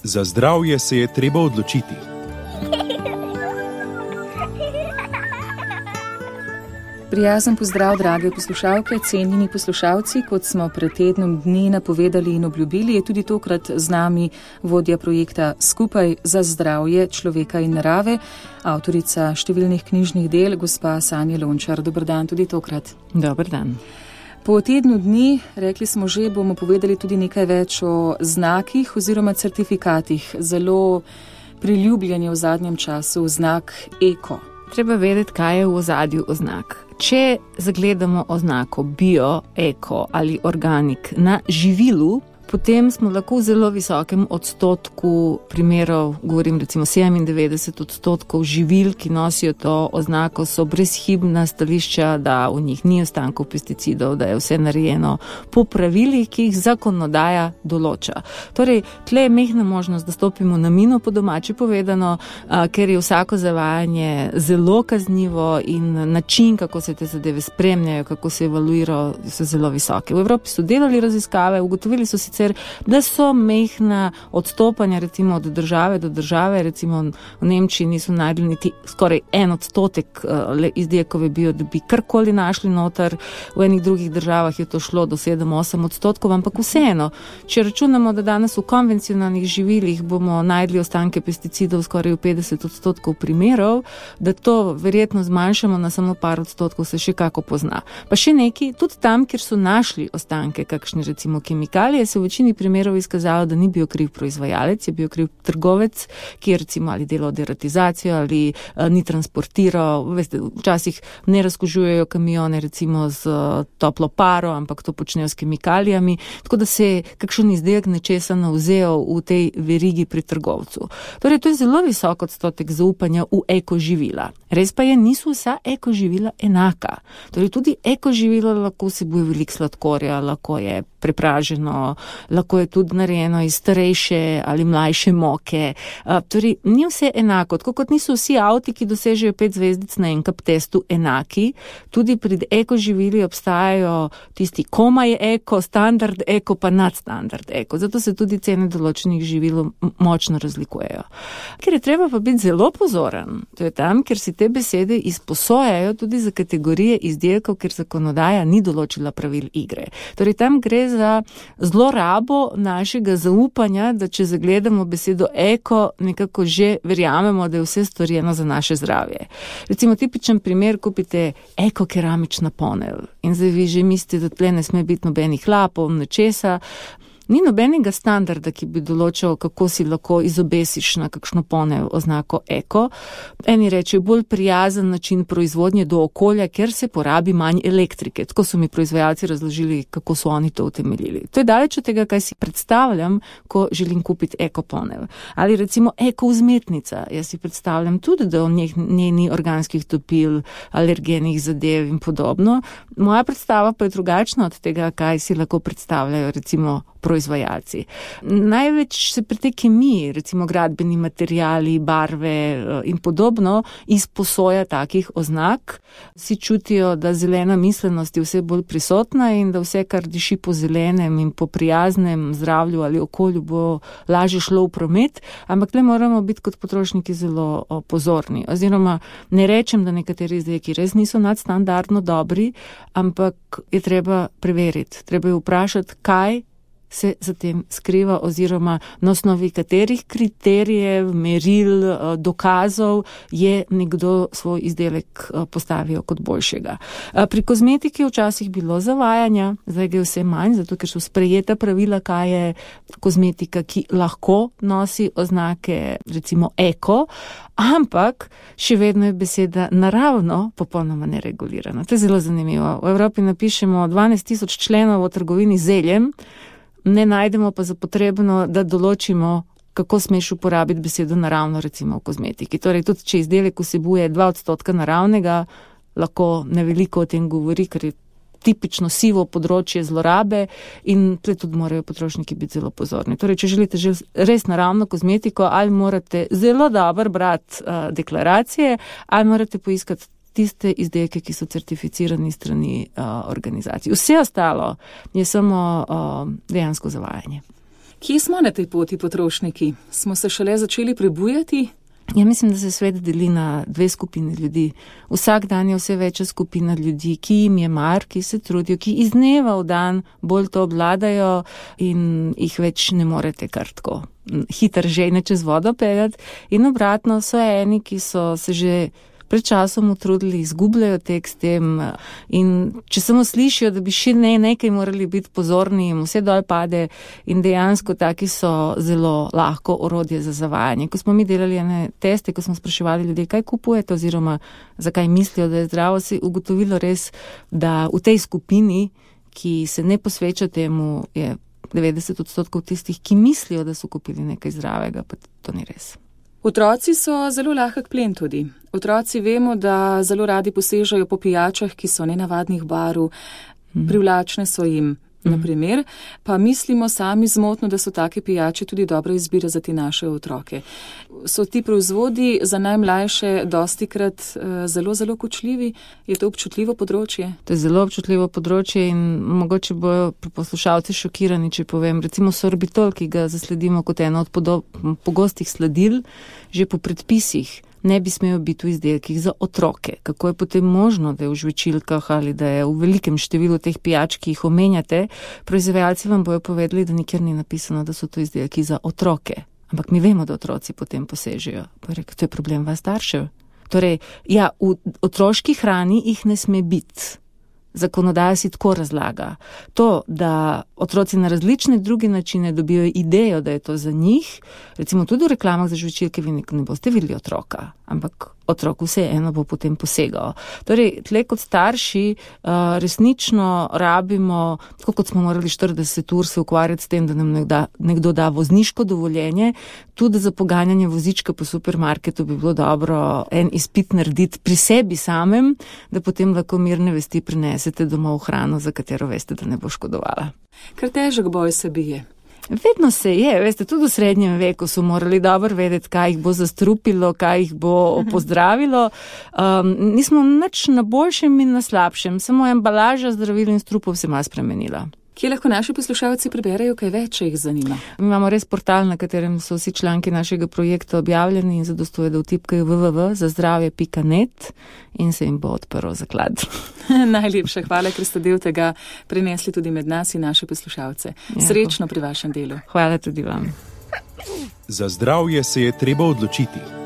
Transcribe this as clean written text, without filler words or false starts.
Za zdravje se je treba odločiti. Prijazen pozdrav, drage poslušalke, cenjeni poslušalci. Kot smo pred tednom dni napovedali in obljubili, je tudi tokrat z nami vodja projekta Skupaj za zdravje človeka in narave, avtorica številnih knjižnih del, gospa Sanja Lončar. Dober dan tudi tokrat. Dober dan. Po tednu dni, rekli smo že, bomo povedali tudi nekaj več o znakih oziroma certifikatih. Zelo priljubljen je v zadnjem času znak eko. Treba vedeti, kaj je v ozadju oznak. Če zagledamo oznako bio, eko ali organik na živilu, potem smo lahko v zelo visokem odstotku primerov, govorim recimo 97% živil, ki nosijo to oznako, so brezhibna stališča, da v njih ni ostankov pesticidov, da je vse narejeno po pravilih, ki jih zakonodaja določa. Torej, tle je mehna možnost, da stopimo na mino, po domači povedano, ker je vsako zavajanje zelo kaznivo in način, kako se te zadeve spremljajo, kako se evaluirajo, so zelo visoke. V Evropi so delali raziskave, ugotovili so sicer, da so mehna odstopanja recimo od države do države, recimo v Nemčiji niso najdli niti skoraj 1% izdelkov bio, da bi karkoli našli noter, v enih drugih državah je to šlo do 7-8%, ampak vseeno, če računamo, da danes v konvencionalnih živilih bomo najdli ostanke pesticidov skoraj v 50% primerov, da to verjetno zmanjšamo na samo par odstotkov, se še kako pozna. Pa še neki, tudi tam, kjer so našli ostanke, kakšne recimo kemikalije, se v večini primerov izkazalo, da ni bil kriv proizvajalec, je bil kriv trgovec, ki je recimo ali delal deratizacijo ali ni transportiral, veste, včasih ne razkužujejo kamione recimo z toplo paro, ampak to počnejo s kemikalijami, tako da se je kakšen izdelek nečesa navzel v tej verigi pri trgovcu. Torej, to je zelo visok odstotek zaupanja v ekoživila. Res pa je, niso vsa ekoživila enaka. Torej, tudi ekoživila lahko vsebuje veliko sladkorja, lahko je prepraženo, lahko je tudi narejeno iz starejše ali mlajše moke. Torej, ni vse enako. Tako kot niso vsi avti, ki dosežejo 5 zvezdic na NCAP testu, enaki. Tudi pri ekoživili obstajajo tisti komaj eko, standard eko, pa nadstandard eko. Zato se tudi cene določenih živil močno razlikujejo. Ker je treba pa biti zelo pozoren. To je tam, kjer si te besede izposojajo tudi za kategorije izdelkov, ker zakonodaja ni določila pravil igre. Torej, tam gre za zlorabo našega zaupanja, da če zagledamo besedo eko, nekako že verjamemo, da je vse storjeno za naše zdravje. Recimo tipičen primer, kupite eko keramična ponev in zdaj vi že mislite, da tle ne sme biti nobenih hlapov, nečesa. Ni nobenega standarda, ki bi določal, kako si lahko izobesiš na kakšno ponev oznako eko. Eni rečejo bolj prijazen način proizvodnje do okolja, ker se porabi manj elektrike. Tako so mi proizvajalci razložili, kako so oni to utemeljili. To je daleč od tega, kaj si predstavljam, ko želim kupiti eko ponev. Ali recimo eko vzmetnica. Jaz si predstavljam tudi, da v njej ni organskih topil, alergenih zadev in podobno. Moja predstava pa je drugačna od tega, kaj si lahko predstavljajo recimo proizvajalci. Največ se pri tej kemiji, recimo gradbeni materiali, barve in podobno, izposoja takih oznak. Vsi čutijo, da zelena miselnost je vse bolj prisotna in da vse, kar diši po zelenem in po prijaznem zdravju ali okolju, bo lažje šlo v promet, ampak le moramo biti kot potrošniki zelo pozorni. Oziroma, ne rečem, da nekateri izdelki res niso nadstandardno dobri, ampak je treba preveriti. Treba je vprašati, kaj se za tem skriva oziroma na osnovi katerih kriterijev, meril, dokazov je nekdo svoj izdelek postavil kot boljšega. Pri kozmetiki včasih bilo zavajanja, zdaj je vse manj, zato ker so sprejeta pravila, kaj je kozmetika, ki lahko nosi oznake recimo eko, ampak še vedno je beseda naravno popolnoma neregulirana. To je zelo zanimivo. V Evropi napišemo 12,000 členov o trgovini z zeljem, ne najdemo pa za potrebno, da določimo, kako smeš uporabiti besedo naravno, recimo v kozmetiki. Torej, tudi če izdelek vsebuje 2% naravnega, lahko neveliko o tem govori, ker je tipično sivo področje zlorabe in tle tudi morajo potrošniki biti zelo pozorni. Torej, če želite res naravno kozmetiko, ali morate zelo dobro brati deklaracije, ali morate poiskati tiste izdelke, ki so certificirani strani organizacij. Vse ostalo je samo dejansko zavajanje. Kje smo na tej poti potrošniki? Smo se šele začeli prebujati? Ja, mislim, da se svet deli na dve skupini ljudi. Vsak dan je vse večja skupina ljudi, ki jim je mar, ki se trudijo, ki iz dneva v dan bolj to obvladajo in jih več ne morete kar tako hitro žejne čez vodo peljati. In obratno so eni, ki so se že pred časom utrudili, izgubljajo tek s tem in če samo slišijo, da bi še nekaj morali biti pozorni, jim vse dol pade in dejansko taki so zelo lahko orodje za zavajanje. Ko smo mi delali ene teste, ko smo spraševali ljudi, kaj kupujete oziroma zakaj mislijo, da je zdravo, si ugotovilo res, da v tej skupini, ki se ne posveča temu, je 90% tistih, ki mislijo, da so kupili nekaj zdravega, pa to ni res. Otroci so zelo lahek plen tudi. Otroci vemo, da zelo radi posežejo po pijačah, ki so nenavadnih barv, privlačne so jim, na primer, pa mislimo sami zmotno, da so take pijače tudi dobra izbira za te naše otroke. So ti proizvodi za najmlajše dostikrat zelo, zelo kočljivi? Je to občutljivo področje? To je zelo občutljivo področje in mogoče bojo poslušalci šokirani, če povem. Recimo sorbitol, ki ga zasledimo kot eno od pogostih sladil, že po predpisih ne bi smel biti v izdelkih za otroke. Kako je potem možno, da je v žvečilkah ali da je v velikem številu teh pijač, ki jih omenjate, proizvajalci vam bojo povedali, da nikjer ni napisano, da so to izdelki za otroke. Ampak mi vemo, da otroci potem posežejo. Pa rekel, to je problem vas staršev. Torej, ja, v otroški hrani jih ne sme biti. Zakonodaja si tako razlaga. To, da otroci na različne druge načine dobijo idejo, da je to za njih, recimo tudi v reklamah za žvečilke vi ne boste videli otroka, ampak otrok vseeno bo potem posegal. Torej, tle kot starši resnično rabimo, tako kot smo morali 40 ur se ukvarjati s tem, da nam nekdo da vozniško dovoljenje, tudi za poganjanje vozička po supermarketu bi bilo dobro en izpit narediti pri sebi samem, da potem lahko mirne vesti prinesete domov hrano, za katero veste, da ne bo škodovala. Kar težek boj se bije. Vedno se je, veste, tudi v srednjem veku so morali dobro vedeti, kaj jih bo zastrupilo, kaj jih bo pozdravilo. Nismo nič na boljšem in na slabšem, samo embalaža zdravil in strupov se malo spremenila. Kje lahko naši poslušalci preberejo kaj več, če jih zanima? Mi imamo res portal, na katerem so vsi članki našega projekta objavljeni in zadostuje, da vtipkajo www.zazdravje.net in se jim bo odprl zaklad. Najlepša hvala, ker ste del tega prinesli tudi med nas in naše poslušalce. Srečno pri vašem delu. Hvala tudi vam. Za zdravje se je treba odločiti.